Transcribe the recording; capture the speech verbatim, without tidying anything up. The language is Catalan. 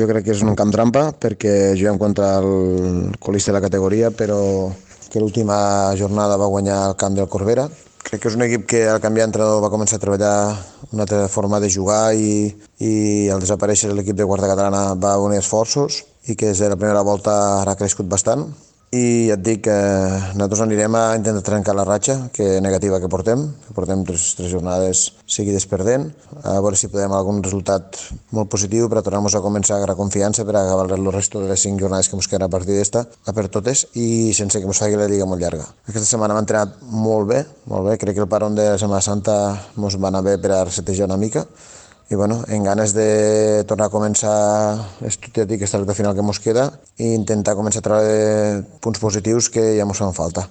jo crec que és un camp trampa perquè juguem contra el colista de la categoria, però que l'última jornada va guanyar el camp del Corbera. Crec que és un equip que al canviar d'entrenador va començar a treballar una altra forma de jugar i, i al desaparèixer l'equip de quarta catalana va unir esforços i que des de la primera volta ha crescut bastant. I ja et dic que nosaltres anirem a intentar trencar la ratxa que negativa que portem, que portem tres, tres jornades seguides perdent, a veure si podem algun resultat molt positiu per a tornar-nos a començar a agarrar confiança per a acabar el resto de les cinc jornades que ens queden a partir d'esta, a per totes, i sense que ens faci la lliga molt llarga. Aquesta setmana hem entrenat molt bé, molt bé, crec que el paron de la Setmana Santa ens va anar bé per a resetejar una mica, i bueno, en ganes de tornar a començar estudiar aquesta recta final que ens queda i intentar començar a treure punts positius que ja ens fan falta.